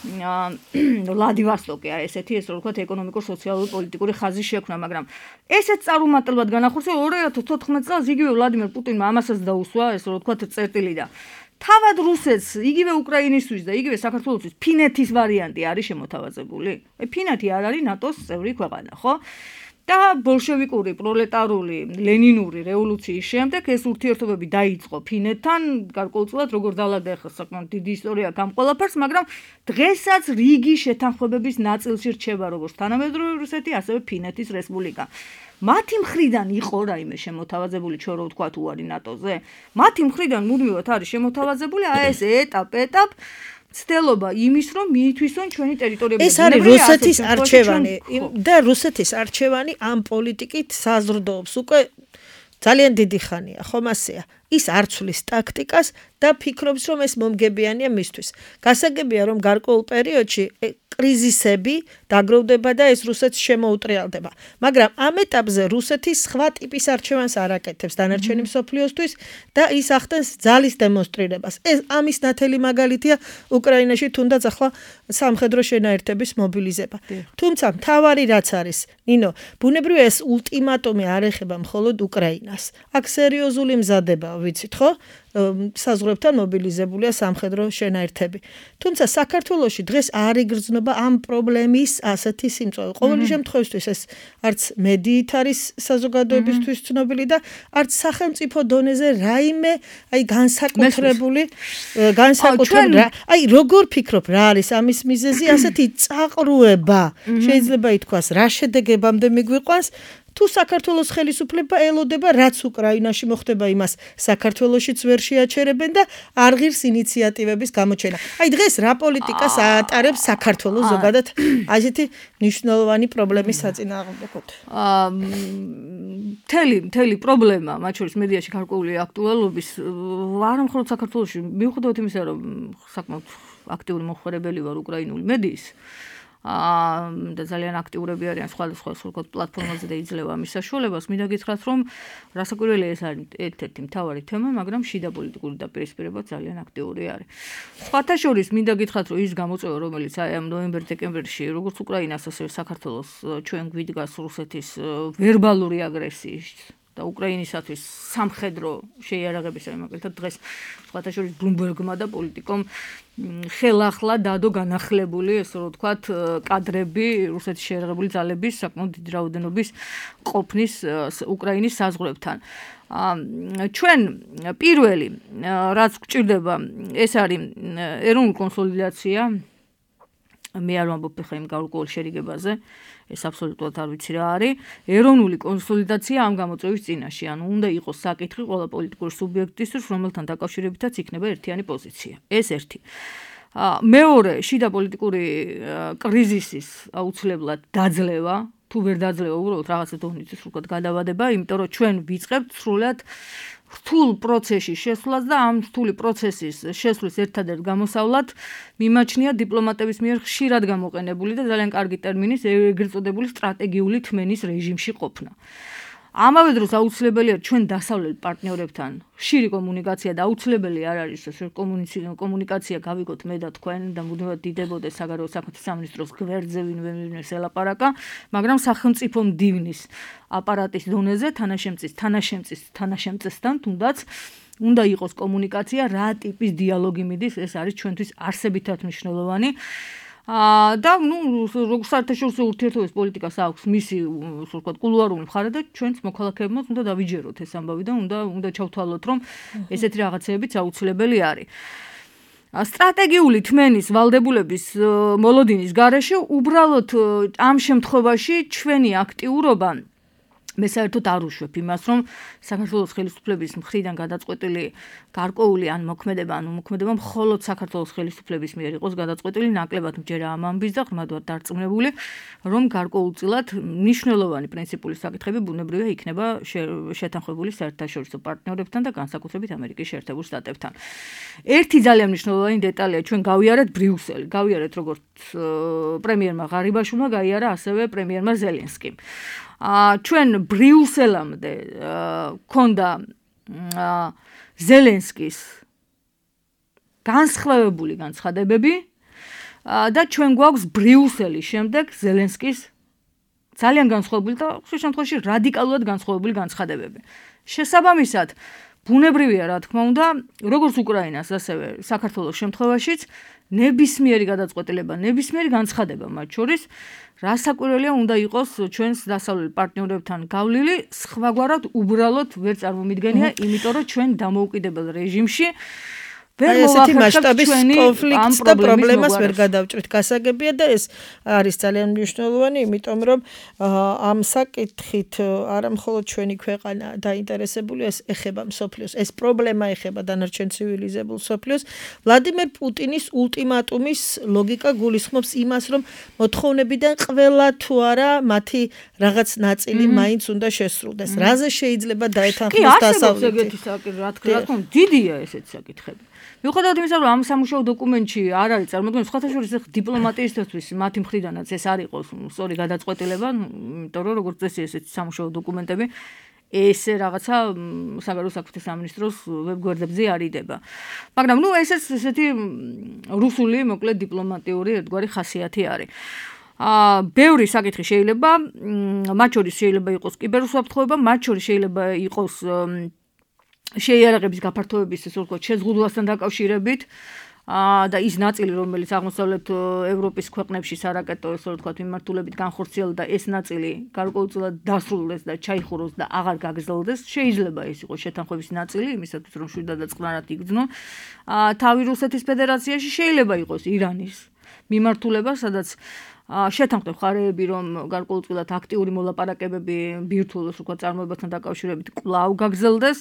ვლადივოსტოკი არის ესეთი, ესე რომ ვთქვათ, ეკონომიკურ-სოციალური პოლიტიკური ხაზი შექმნა, მაგრამ ესეც წარუმატებლად განახორციელა ორი ათას ოთხმეტ წელს იგივე ვლადიმერ პუტინმა ამასაც დაუსვა, ესე რომ ვთქვათ, წერტილი და თავად რუსეთს, იგივე უკრაინისთვის და იგივე საქართველოსთვის ფინეთის ვარიანტი არის შემოთავაზებული. აი ფინეთი არ არის ნატოს წევრი ქვეყანა, ხო? და ბოლშევიკური, პროლეტარული, ლენინური რევოლუციის შემდეგ ეს ურთიერთობები დაიწყო ფინეთთან, გარკვეულწილად როგორ დალაგდა ახლა საკმაოდ დიდი ისტორია ამ ყველაფერს, მაგრამ დღესაც რიგი შეთანხმებების ნაწილში რჩება როგორც თანამედროვე რუსეთი, ასევე ფინეთის რესპუბლიკა. მათი მხრიდან იყო რაიმე შემოთავაზებული, ჩვენ რო ვთქვათ უარი ნატოზე? მათი მხრიდან მუდმივად არის შემოთავაზებული აი ეს ეტაპ-ეტაპ ცდელობა იმის, რომ მიითვისონ ჩვენი ტერიტორიები. ეს არის რუსეთის არჩევანი და რუსეთის არჩევანი ამ პოლიტიკით საზრდოობს უკვე ძალიან დიდი ხანია, ხომ ასეა? ის არ ცვლის ტაქტიკას და ფიქრობს, რომ ეს მომგებიანია მისთვის. გასაგებია, რომ გარკვეულ პერიოდში კრიზისები დაგროვდება და ეს რუსეთს შემოუტრიალდება. მაგრამ ამ ეტაპზე რუსეთი სხვა ტიპის არჩევანს არ აკეთებს დანარჩენი მსოფლიოსთვის და ის ახდენს ძალის დემონსტრირებას. ეს ამის ნათელი მაგალითია უკრაინაში თუნდაც ახლა სამხედრო შენაერთების მობილიზება. თუმცა მთავარი რაც არის, ნინო, ბუნებრივია ეს ულტიმატუმი არ ეხება მხოლოდ უკრაინას. აქ სერიოზული მზადება ვიცით ხო? საზღვრებთან მობილიზებულია სამხედრო შენაერთები. თუმცა საქართველოში დღეს არ იგრძნობა ამ პრობლემის ასეთი სიმწვავე. ყოველი შემთხვევისთვის ეს არც მედიით არის საზოგადოებისთვის ცნობილი და არც სახელმწიფო დონეზე რაიმე აი განსაკუთრებული განსაკუთრებული აი როგორ ფიქრობ რა არის ამის მიზეზი? ასეთი წაყრუება შეიძლება ითქვას რა შედეგებამდე მიგვიყვანს თუ საქართველოს ხელისუფლება ელოდება რაც უკრაინაში მოხდება იმას საქართველოშიც ვერ შეაჩერებენ და არ ღირს ინიციატივების გამოჩენა. აი დღეს რა პოლიტიკას ატარებს საქართველოს ზოგადად ასეთი მნიშვნელოვანი პრობლემის საწინააღმდეგოდ? აა მთელი მთელი პრობლემა მათ შორის მედიაში გარკვეული აქტუალობის არა მხოლოდ საქართველოში მიუხედავად იმისა რომ საკმაოდ აქტიური მოხმარებელი ვარ უკრაინული მედიის აა და ძალიან აქტიურები არიან სხვადასხვა სულკოთ პლატფორმაზე და იძლევა ამის საშუალებას. მინდა გითხრათ რომ რასაკვირველია ეს არის ერთ-ერთი მთავარი თემა, მაგრამ შიდა პოლიტიკური დაპირისპირება ძალიან აქტიური არის. სხვათა შორის მინდა გითხრათ რომ ის გამოწვევა რომელიც აი ამ ნოემბერ-დეკემბერში როგორც უკრაინას ასევე საქართველოს ჩვენ გვიდგას რუსეთის ვერბალური აგრესიის და უკრაინისათვის სამხედრო შეიარაღების ამაკეთად დღეს სხვათა შორის ბლუმბერგმა და პოლიტიკომ ხელახლა დადო განახლებული ესე რომ ვთქვათ კადრები რუსეთის შეიარაღებული ძალების საკმაოდ დიდი რაოდენობის ყოფნის უკრაინის საზღვრებთან. ჩვენ პირველი რაც გვჭირდება ეს არის ეროვნული კონსოლიდაცია. მე არ ვამბობ ხა იმ გარკვეულ შერიგებაზე, ეს აბსოლუტურად არ ვიცი რა არის. ეროვნული კონსოლიდაცია ამ გამოწვევის წინაშე, ანუ უნდა იყოს საკითხი ყველა პოლიტიკური სუბიექტისთვის, რომელთან დაკავშირებითაც იქნება ერთიანი პოზიცია. ეს ერთი. მეორე, შიდა პოლიტიკური კრიზისის აუცილებლად დაძლევა, თუ ვერ დაძლევა უბრალოდ რაღაცა დონისთვის უკეთ გადავადება, იმიტომ რომ ჩვენ ვიწყებთ სრულად რთულ პროცესში შესვლას და ამ რთული პროცესის შესვლის ერთადერთ გამოსავლად მიმაჩნია დიპლომატების მიერ ხშირად გამოყენებული და ძალიან კარგი ტერმინის ეგრეთ წოდებული სტრატეგიული თმენის რეჟიმში ყოფნა. ამავე დროს აუცილებელია ჩვენ დასავლელ პარტნიორებთან ხშირი კომუნიკაცია და აუცილებელი არ არის ეს კომუნიკაცია გავიგოთ მე და თქვენ და მუდმივად დიდებოდეს საგარეო საქმეთა სამინისტროს გვერდზე ვინმე ვინმეს ელაპარაკა, მაგრამ სახელმწიფო მდივნის აპარატის დონეზე თანაშემწის თანაშემწის თანაშემწესთან თუნდაც უნდა იყოს კომუნიკაცია, რა ტიპის დიალოგი მიდის, ეს არის ჩვენთვის არსებითად მნიშვნელოვანი. აა და ნუ როგორც საერთაშორისო ურთიერთობების პოლიტიკას აქვს მისი ასე ვთქვათ კულუარული მხარე და ჩვენც მოქალაქეებმაც უნდა დავიჯეროთ ეს ამბავი და უნდა უნდა ჩავთვალოთ რომ ესეთი რაღაცეებიც აუცილებელი არის. სტრატეგიული თმენის ვალდებულების მოლოდინის გარეშე უბრალოდ ამ შემთხვევაში ჩვენი აქტიურობა მე საერთოდ არ უშვებ იმას, რომ საქართველოს ხელისუფლების მხრიდან გადაწყვეტილი გარკვეული ან მოქმედება, ანუ მოქმედება მხოლოდ საქართველოს ხელისუფლების მიერ იყოს გადაწყვეტილი, ნაკლებად მჯერა ამ ამბის და ღრმად ვარ დარწმუნებული, რომ გარკვეულწილად მნიშვნელოვანი პრინციპული საკითხები ბუნებრივია იქნება შეთანხმებული საერთაშორისო პარტნიორებთან და განსაკუთრებით ამერიკის შეერთებულ შტატებთან. ერთი ძალიან მნიშვნელოვანი დეტალია, ჩვენ გავიარეთ ბრიუსელი, გავიარეთ როგორც პრემიერმა ღარიბაშვილმა, გაიარა ასევე პრემიერმა ზელენსკიმ. ჩვენ ბრიუსელამდე ქონდა ზელენსკის განსხვავებული განცხადებები და ჩვენ გვაქვს ბრიუსელის შემდეგ ზელენსკის ძალიან განსხვავებული და ხშირ შემთხვევაში რადიკალურად განსხვავებული განცხადებები. შესაბამისად, ბუნებრივია რა თქმა უნდა, როგორც უკრაინას, ასევე საქართველოს შემთხვევაშიც ნებისმიერი გადაწყვეტილება, ნებისმიერი განცხადება მათ შორის რასაკვირველია უნდა იყოს ჩვენს დასავლელ პარტნიორებთან გავლილი, სხვაგვარად უბრალოდ ვერ წარმომიდგენია, იმიტომ რომ ჩვენ დამოუკიდებელ რეჟიმში ვერ ესეთი მასშტაბის კონფლიქტს და პრობლემას ვერ გადავჭრით. გასაგებია და ეს არის ძალიან მნიშვნელოვანი, იმიტომ რომ ამ საკითხით არა მხოლოდ ჩვენი ქვეყანა დაინტერესებული, ეს ეხება მსოფლიოს, ეს პრობლემა ეხება დანარჩენ ცივილიზებულ მსოფლიოს. ვლადიმერ პუტინის ულტიმატუმის ლოგიკა გულისხმობს იმას, რომ მოთხოვნებიდან ყველა თუ არა მათი რაღაც ნაწილი მაინც უნდა შესრულდეს. რაზე შეიძლება დაეთანხმოს დასავლეთი? კი, ასეთი საკითხი, რა თქმა უნდა, დიდია ესეთი საკითხები. მიუხედავად იმისა, რომ ამ სამუშაო დოკუმენტში არ არის წარმოქმნილი, სხვათა შორის დიპლომატიისთვის მათი მხრიდანაც ეს არ იყოს სწორი გადაწყვეტილება, იმიტომ რომ როგორც წესი ესეთი სამუშაო დოკუმენტები ესე რაღაცა საგარეო საქმეთა სამინისტროს ვებგვერდებზე არიდება. მაგრამ ნუ ესეც ესეთი რუსული, მოკლედ დიპლომატიური ერთგვარი ხასიათი არის. აა ბევრი საკითხი შეიძლება, მათ შორის შეიძლება იყოს კიბერუსაფრთხოება, მათ შორის შეიძლება იყოს შეიარაღების გაფართოების ესე ვთქვათ შეზღუდვასთან დაკავშირებით და ის ნაწილი რომელიც აღმოსავლეთ ევროპის ქვეყნებში სარაკეტო ესე ვთქვათ მიმართულებით განხორციელდა ეს ნაწილი გარკვეულწილად დასრულდეს და ჩაიხუროს და აღარ გაგრძელდეს შეიძლება ეს იყოს შეთანხმების ნაწილი იმისათვის რომ შვიდად და წყნარად იგრძნო თავი რუსეთის ფედერაციაში შეიძლება იყოს ირანის მიმართულება სადაც შეთანხმდა მხარეები, რომ გარკვეულწილად აქტიური მოლაპარაკებები ბირთვულ ვთქვათ წარმოებასთან დაკავშირებით კვლავ გაგრძელდეს.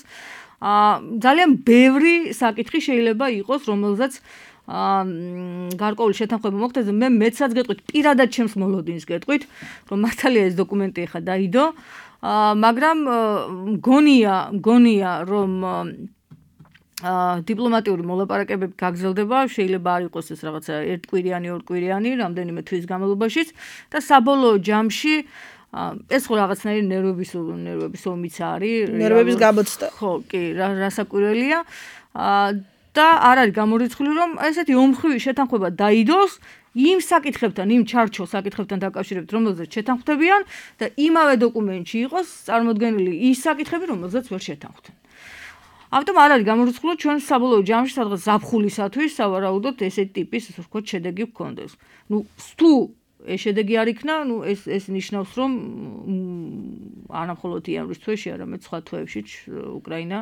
ძალიან ბევრი საკითხი შეიძლება იყოს, რომელზეც გარკვეული შეთანხმება მოხდეს. მე მეცაც გეტყვით, პირადად ჩემს მოლოდინს გეტყვით, რომ მართალია ეს დოკუმენტი ახლა დაიდო, მაგრამ მგონია, მგონია, რომ დიპლომატიური მოლაპარაკებები გაგრძელდება, შეიძლება არ იყოს ეს რაღაცა ერთკვირიანი, ორკვირიანი, რამდენიმე თვის განმავლობაშიც და საბოლოო ჯამში ეს ხო რაღაცნაირი ნერვების ნერვების ომიც არის. ნერვების გამოცდა. ხო, კი, რასაკვირველია. და არ არის გამორიცხული, რომ ესეთი ომხრივი შეთანხმება დაიდოს იმ საკითხებთან, იმ ჩარჩო საკითხებთან დაკავშირებით, რომელზეც შეთანხმდებიან და იმავე დოკუმენტში იყოს წარმოდგენილი ის საკითხები, რომელზეც ვერ შეთანხმდნენ. ამიტომ არ არის გამორიცხული, ჩვენ საბოლოო ჯამში სადღაც ზაფხულისათვის სავარაუდოდ ესეთი ტიპის, ასე ვთქვათ, შედეგი გქონდეს. ნუ თუ ეს შედეგი არ იქნა, ნუ ეს ეს ნიშნავს, რომ არა მხოლოდ იანვრის თვეში, არამედ სხვა თვეებშიც უკრაინა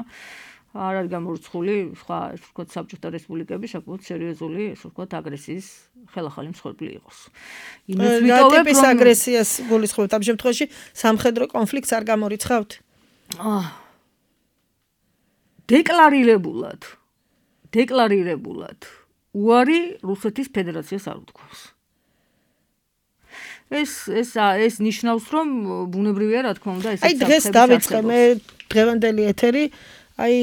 არ არის გამორიცხული სხვა ასე ვთქვათ საბჭოთა რესპუბლიკები საკმაოდ სერიოზული ასე ვთქვათ აგრესიის ხელახალი მსხვერპლი იყოს. იმის ვიტოვებ, რომ ტიპის აგრესიას გულისხმობთ ამ შემთხვევაში სამხედრო კონფლიქტს არ გამორიცხავთ? დეკლარირებულად დეკლარირებულად უარი რუსეთის ფედერაციას არ უთქვამს. ეს ეს ეს ნიშნავს, რომ ბუნებრივია, რა თქმა უნდა, ეს აი დღეს დავიწყე მე დღევანდელი ეთერი აი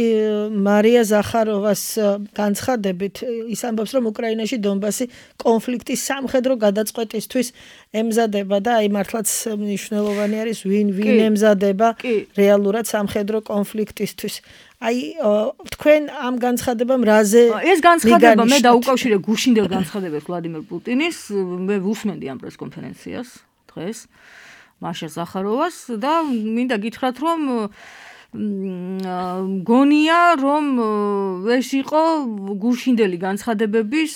მარია ზახაროვას განცხადებით ის ამბობს, რომ უკრაინაში დონბასი კონფლიქტის სამხედრო გადაწყვეტისთვის ემზადება და აი მართლაც მნიშვნელოვანი არის ვინ ვინ ემზადება რეალურად სამხედრო კონფლიქტისთვის. აი თქვენ ამ განცხადებამ რაზე ეს განცხადება მე დაუკავშირე გუშინდელ განცხადებებს ვლადიმერ პუტინის, მე ვუსმენდი ამ პრესკონფერენციას დღეს მაშა ზახაროვას და მინდა გითხრათ, რომ მგონია, რომ ეს იყო გუშინდელი განცხადებების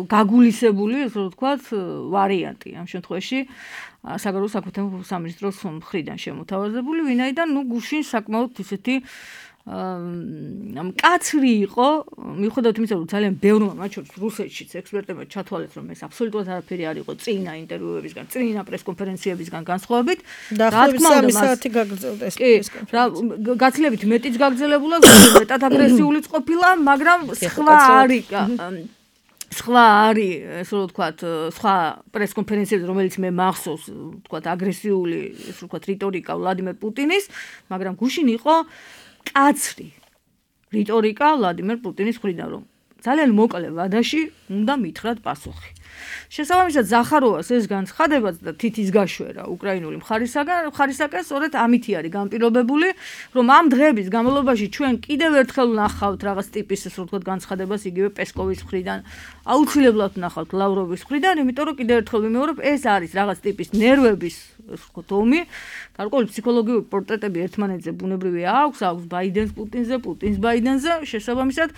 გაგულისებული, ასე ვთქვათ, ვარიანტი ამ შემთხვევაში საგარეო საქმეთა სამინისტროს მხრიდან შემოთავაზებული, ვინაიდან ნუ გუშინ საკმაოდ ისეთი მკაცრი იყო, მიუხედავად იმისა, რომ ძალიან ბევრმა მათ შორის რუსეთშიც ექსპერტებმა ჩათვალეს, რომ ეს აბსოლუტურად არაფერი არ იყო წინა ინტერვიუებისგან, წინა პრესკონფერენციებისგან განსხვავებით. დაახლოებით სამი საათი გაგრძელდა ეს პრესკონფერენცია. გაცილებით მეტიც გაგრძელებულა, მეტად აგრესიულიც ყოფილა, მაგრამ სხვა არის სხვა არის, ასე ვთქვათ, სხვა პრესკონფერენციები, რომელიც მე მახსოვს, ვთქვათ, აგრესიული, ასე ვთქვათ, რიტორიკა ვლადიმერ პუტინის, მაგრამ გუშინ იყო კაცრი რიტორიკა ვლადიმერ პუტინის მხრიდან, რომ ძალიან მოკლე ვადაში უნდა მითხრათ პასუხი. შესაბამისად ზახაროვას ეს განცხადებაც და თითის გაშვერა უკრაინული მხარისაგან, მხარისაკენ სწორედ ამითი არის განპირობებული, რომ ამ დღეების განმავლობაში ჩვენ კიდევ ერთხელ ვნახავთ რაღაც ტიპის, ასე ვთქვათ, განცხადებას იგივე პესკოვის მხრიდან, აუცილებლად ვნახავთ ლავროვის მხრიდან, იმიტომ რომ კიდევ ერთხელ ვიმეორებ, ეს არის რაღაც ტიპის ნერვების, ასე ვთქვათ, ომი. გარკვეული ფსიქოლოგიური პორტრეტები ერთმანეთზე ბუნებრივია აქვს, აქვს ბაიდენს პუტინზე, პუტინს ბაიდენზე, შესაბამისად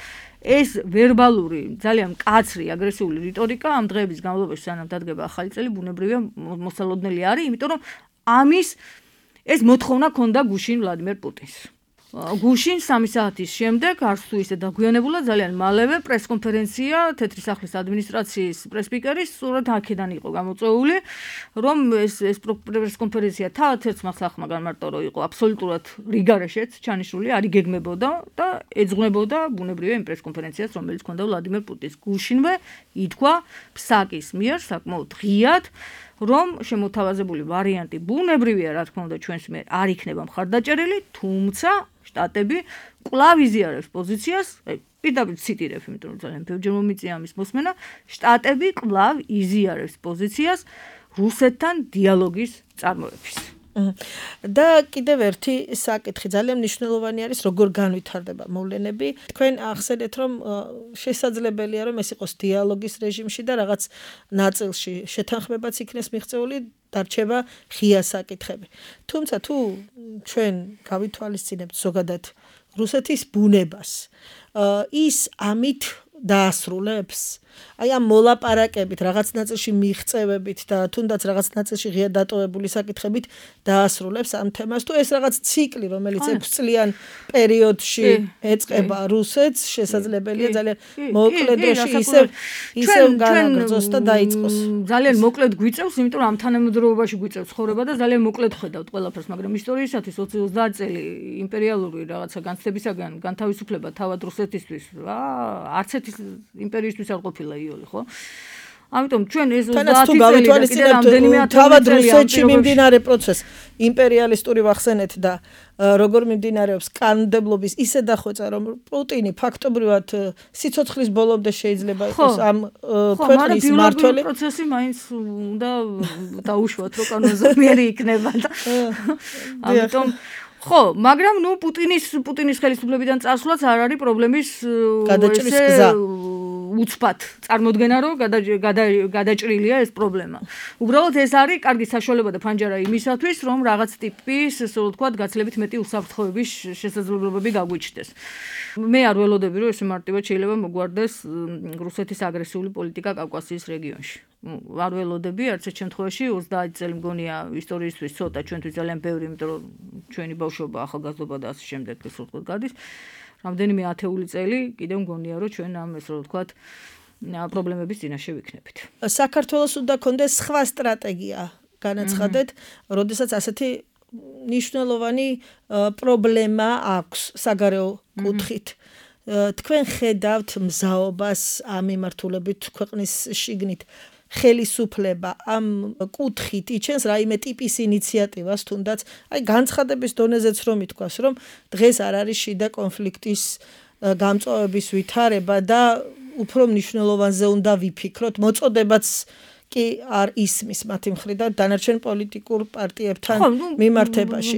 ეს ვერბალური, ძალიან მკაცრი, აგრესიული რიტორიკა ამ დღეების განმავლობაში სანამ დადგება ახალი წელი, ბუნებრივია მოსალოდნელი არის, იმიტომ რომ ამის ეს მოთხოვნა ქონდა გუშინ ვლადიმერ პუტინს. გუშინ სამი საათის შემდეგ არც თუ ისე დაგვიანებულა ძალიან მალევე პრესკონფერენცია თეთრი სახლის ადმინისტრაციის პრესპიკერის სწორედ აქედან იყო გამოწვეული, რომ ეს ეს პრესკონფერენცია თავად ერთ მახსახმა განმარტო იყო აბსოლუტურად რიგარეშეც ჩანიშნული, არ იგეგმებოდა და ეძღვნებოდა ბუნებრივია იმ პრესკონფერენციას, რომელიც ჰქონდა ვლადიმერ პუტინს. გუშინვე ითქვა ფსაკის მიერ საკმაოდ ღიად, რომ შემოთავაზებული ვარიანტი ბუნებრივია, რა თქმა უნდა, ჩვენს მიერ არ იქნება მხარდაჭერილი, თუმცა შტატები კვლავ იზიარებს პოზიციას, აი პირდაპირ ციტირებ, იმიტომ რომ ძალიან ბევრჯერ მომიწია ამის მოსმენა, შტატები კვლავ იზიარებს პოზიციას რუსეთთან დიალოგის წარმოების. და კიდევ ერთი საკითხი ძალიან მნიშვნელოვანი არის, როგორ განვითარდება მოვლენები. თქვენ ახსენეთ, რომ შესაძლებელია, რომ ეს იყოს დიალოგის რეჟიმში და რაღაც ნაწილში შეთანხმებაც იქნეს მიღწეული, დარჩება ღია საკითხები. თუმცა თუ ჩვენ გავითვალისწინებთ ზოგადად რუსეთის ბუნებას, ის ამით დაასრულებს. აი ამ მოლაპარაკებით, რაღაც ნაწილში მიღწევებით და თუნდაც რაღაც ნაწილში ღია დატოვებული საკითხებით დაასრულებს ამ თემას, თუ ეს რაღაც ციკლი, რომელიც ექვს წლიან პერიოდში ეწყება რუსეთს, შესაძლებელია ძალიან მოკლე დროში ისევ ისევ განაგრძოს და დაიწყოს. ძალიან მოკლედ გვიწევს, იმიტომ რომ ამ თანამედროვეობაში გვიწევს ცხოვრება და ძალიან მოკლედ ხედავთ ყველაფერს, მაგრამ ისტორიისათვის ოცი ოცდაათ წელი იმპერიალური რაღაცა განცდებისაგან განთავისუფლება თავად რუსეთისთვის, რა, არც ერთი იმპერიისთვის არ ყოფილა იოლი, ხო? ამიტომ ჩვენ ეს ოცდაათი წელი და კიდე რამდენიმე თავად რუსეთში მიმდინარე პროცესს იმპერიალისტური ვახსენეთ და როგორ მიმდინარეობს კანონმდებლობის ისე დახვეწა, რომ პუტინი ფაქტობრივად სიცოცხლის ბოლომდე შეიძლება იყოს ამ ქვეყნის მმართველი. ხო, პროცესი მაინც უნდა დაუშვათ, რომ კანონზომიერი იქნება და ამიტომ ხო, მაგრამ ნუ პუტინის პუტინის ხელისუფლებიდან წასვლაც არ არის პრობლემის გადაჭრის გზა. უცბად წარმოდგენა, რომ გადაჭრილია ეს პრობლემა. უბრალოდ ეს არის კარგი საშუალება და ფანჯარა იმისათვის, რომ რაღაც ტიპის, ასე ვთქვათ, გაცილებით მეტი უსაფრთხოების შესაძლებლობები გაგვიჩნდეს. მე არ ველოდები, რომ ეს მარტივად შეიძლება მოგვარდეს რუსეთის აგრესიული პოლიტიკა კავკასიის რეგიონში. არ ველოდები, არც ერთ შემთხვევაში ოცდაათი წელი მგონია ისტორიისთვის ცოტა, ჩვენთვის ძალიან ბევრი, იმიტომ რომ ჩვენი ბავშვობა, ახალგაზრდობა და ასე შემდეგ, ასე ვთქვათ, გადის. რამდენიმე ათეული წელი კიდევ მგონია, რომ ჩვენ ამ ესე ვთქვათ, პრობლემების წინაშე ვიქნებით. საქართველოს უნდა კონდეს სხვა სტრატეგია, განაცხადეთ, როდესაც ასეთი მნიშვნელოვანი პრობლემა აქვს საგარეო კუთხით. თქვენ ხედავთ მზაობას ამ მიმართულებით ქვეყნის შიგნით. ხელისუფლება ამ კუთხით იჩენს რაიმე ტიპის ინიციატივას, თუნდაც აი განცხადების დონეზეც რომ ითქვას, რომ დღეს არ არის შიდა კონფლიქტის გამწვავების ვითარება და უფრო მნიშვნელოვანზე უნდა ვიფიქროთ, მოწოდებაც კი არ ისმის მათი მხრიდან დანარჩენ პოლიტიკურ პარტიებთან მიმართებაში.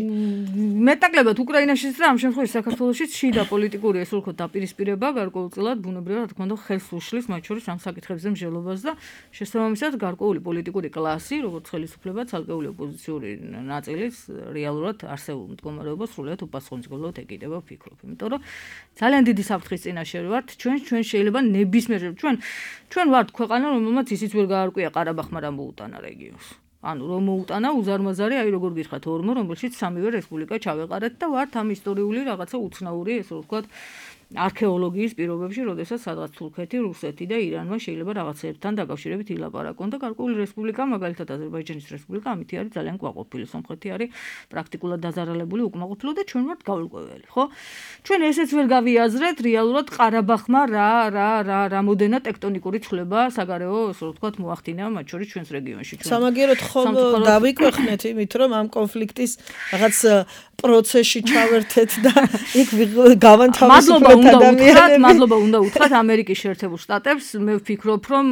მეტაკლებად უკრაინაშიც და ამ შემთხვევაში საქართველოშიც შიდა პოლიტიკური ესე ვთქვათ დაპირისპირება გარკვეულწილად ბუნებრივად რა თქმა უნდა ხელს უშლის მათ შორის ამ საკითხებზე მსჯელობას და შესაბამისად გარკვეული პოლიტიკური კლასი, როგორც ხელისუფლება, ცალკეული ოპოზიციური ნაწილის რეალურად არსებულ მდგომარეობას სრულიად უპასუხისმგებლად ეკიდება ვფიქრობ. იმიტომ რომ ძალიან დიდი საფრთხის წინაშე ვართ ჩვენ ჩვენ შეიძლება ნებისმიერ ჩვენ ჩვენ ვართ ქვეყანა რომელმაც ისიც ვერ გაარკვია ყარაბაღმა რა მოუტანა რეგიონს. ანუ რომ მოუტანა უზარმაზარი, აი როგორ გითხრათ ორმო, რომელშიც სამივე რესპუბლიკა ჩავეყარეთ და ვართ ამ ისტორიული რაღაცა უცნაური, ესე ვთქვათ, არქეოლოგიის პირობებში, როდესაც სადღაც თურქეთი, რუსეთი და ირანმა შეიძლება რაღაცებთან დაკავშირებით ილაპარაკონ და გარკვეული რესპუბლიკა, მაგალითად აზერბაიჯანის რესპუბლიკა, ამით არის ძალიან კმაყოფილი. სომხეთი არის პრაქტიკულად დაზარალებული, უკმაყოფილო და ჩვენ ვართ გაურკვეველი, ხო? ჩვენ ესეც ვერ გავიაზრეთ, რეალურად ყარაბაღმა რა რა რა რამოდენა ტექტონიკური ცვლილება საგარეო, ასე ვთქვათ, მოახდინა მათ შორის ჩვენს რეგიონში. სამაგიეროდ ხომ დავიკვეხნეთ იმით, რომ ამ კონფლიქტის რაღაც პროცესში ჩავერთეთ და იქ გავანთავისუფლეთ ადამიანები. მადლობა უნდა უთხრათ ამერიკის შეერთებულ შტატებს. მე ვფიქრობ, რომ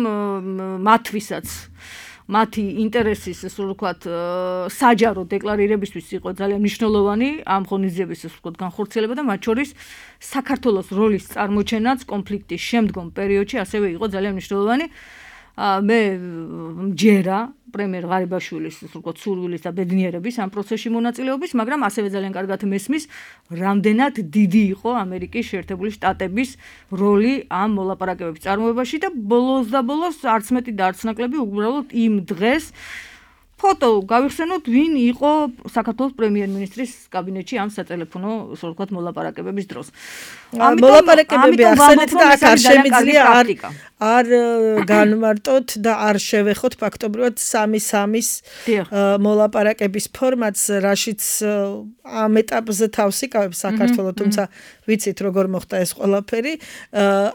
მათთვისაც მათი ინტერესის, ასე ვთქვათ, საჯარო დეკლარირებისთვის იყო ძალიან მნიშვნელოვანი ამ ღონისძიების, ასე ვთქვათ, განხორციელება და მათ შორის საქართველოს როლის წარმოჩენაც კონფლიქტის შემდგომ პერიოდში ასევე იყო ძალიან მნიშვნელოვანი. მე მჯერა პრემიერ ღარიბაშვილის, ასე ვთქვათ, სურვილის და ბედნიერების ამ პროცესში მონაწილეობის, მაგრამ ასევე ძალიან კარგად მესმის, რამდენად დიდი იყო ამერიკის შეერთებული შტატების როლი ამ მოლაპარაკებების წარმოებაში და ბოლოს და ბოლოს არც მეტი და არც ნაკლები უბრალოდ იმ დღეს ფოტო გავიხსენოთ, ვინ იყო საქართველოს პრემიერ-მინისტრის კაბინეტში ამ სატელეფონო, ასე ვთქვათ, მოლაპარაკებების დროს. მოლაპარაკებები ახსენეთ და აქ არ შემიძლია არ არ განმარტოთ და არ შევეხოთ ფაქტობრივად სამი სამის მოლაპარაკების ფორმატს, რაშიც ამ ეტაპზე თავს იკავებს საქართველოს, თუმცა ვიცით როგორ მოხდა ეს ყველაფერი.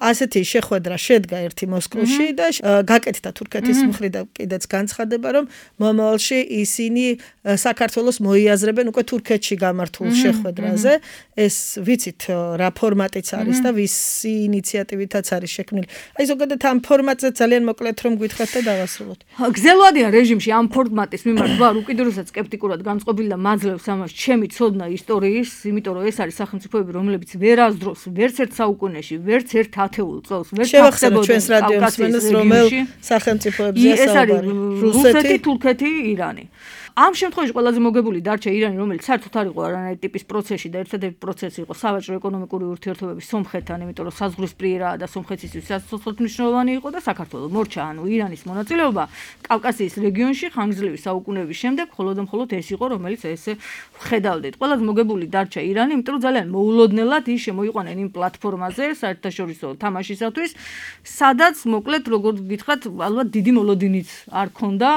ასეთი შეხვედრა შედგა ერთი მოსკოვში და გაკეთდა თურქეთის მხრიდან კიდეც განცხადება, რომ მომავალში ისინი საქართველოს მოიაზრებენ უკვე თურქეთში გამართულ შეხვედრაზე. ეს ვიცით რა ფორმატიც არის და ვისი ინიციატივითაც არის შექმნილი. აი ზოგადად ამ ფორმატზე ძალიან მოკლედ რომ გითხრათ და დავასრულოთ. გზელვადიან რეჟიმში ამ ფორმატის მიმართ ვარ უკიდურესად სკეპტიკურად განწყობილი და მაძლევს ამას ჩემი ცოდნა ისტორიის, იმიტომ რომ ეს არის სახელმწიფოები, რომლებიც ვერასდროს, ვერც ერთ საუკუნეში, ვერც ერთ ათეულ წელს ვერ შევახსენოთ ჩვენს რადიომსმენელს, რომელ სახელმწიფოებზეა საუბარი. რუსეთი, თურქეთი, ირანი. ამ შემთხვევაში ყველაზე მოგებული დარჩა ირანი, რომელიც საერთოდ არ იყო არანაირი ტიპის პროცესში და ერთადერთი პროცესი იყო სავაჭრო ეკონომიკური ურთიერთობების სომხეთთან, იმიტომ რომ საზღვრისპირაა და სომხეთისთვის სასწრაფოდ მნიშვნელოვანი იყო და საქართველოს მორჩა, ანუ ირანის მონაწილეობა კავკასიის რეგიონში ხანგრძლივი საუკუნეების შემდეგ მხოლოდ და მხოლოდ ეს იყო, რომელიც ესე ხედავდით. ყველაზე მოგებული დარჩა ირანი, იმიტომ რომ ძალიან მოულოდნელად ის შემოიყვანენ იმ პლატფორმაზე საერთაშორისო თამაშისათვის, სადაც მოკლედ როგორც გითხრათ, ალბათ დიდი მოლოდინიც არ ქონდა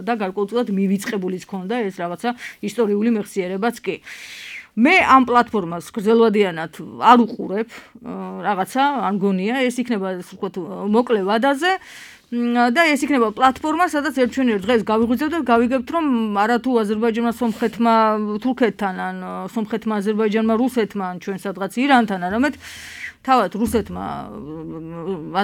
და გარკვეულწილად მივიწყებულიც ქონდა ეს რაღაცა ისტორიული მეხსიერებაც კი. მე ამ პლატფორმას გრძელვადიანად არ უყურებ რაღაცა, არ მგონია, ეს იქნება ასე ვთქვათ მოკლე ვადაზე და ეს იქნება პლატფორმა, სადაც ერთჩვენიერ დღეს გავიღვიძებთ და გავიგებთ, რომ არათუ აზერბაიჯანმა სომხეთმა თურქეთთან ან სომხეთმა აზერბაიჯანმა რუსეთმა ან ჩვენ სადღაც ირანთან, არამედ თავად რუსეთმა,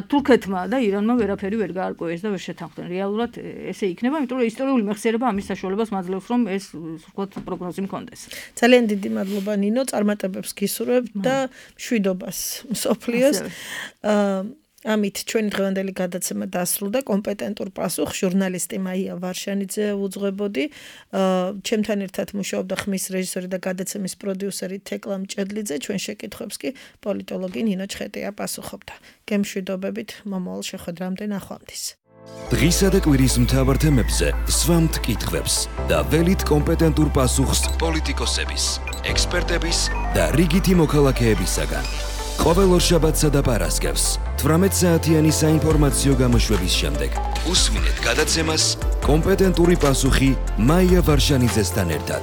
თურქეთმა და ირანმა ვერაფერი ვერ გაარკვევეს და ვერ შეთანხმდნენ. რეალურად ესე იქნება, იმიტომ რომ ისტორიული მეხსიერება ამის საშუალებას მაძლევს, რომ ეს ვთქვათ პროგნოზი მქონდეს. ძალიან დიდი მადლობა ნინო, წარმატებებს გისურვებთ და მშვიდობას მსოფლიოს. ამით ჩვენი დღევანდელი გადაცემა დასრულდა. კომპეტენტურ პასუხს ჟურნალისტი მაია ვარშანიძე უძღვებოდი. ჩემთან ერთად მუშაობდა ხმის რეჟისორი და გადაცემის პროდიუსერი თეკლა მჭედლიძე. ჩვენ შეკითხვებს კი პოლიტოლოგი ნინო ჩხეტია პასუხობდა. გემშვიდობებით მომავალ შეხვედრამდე ნახვამდის. დღისა და კვირის მთავარ თემებზე სვამთ კითხვებს და ველით კომპეტენტურ პასუხს პოლიტიკოსების, ექსპერტების და რიგითი მოქალაქეებისაგან. ყოველ ორშაბათსა და პარასკევს თვრამეტ საათიანი საინფორმაციო გამოშვების შემდეგ უსმინეთ გადაცემას კომპეტენტური პასუხი მაია ვარშანიძესთან ერთად.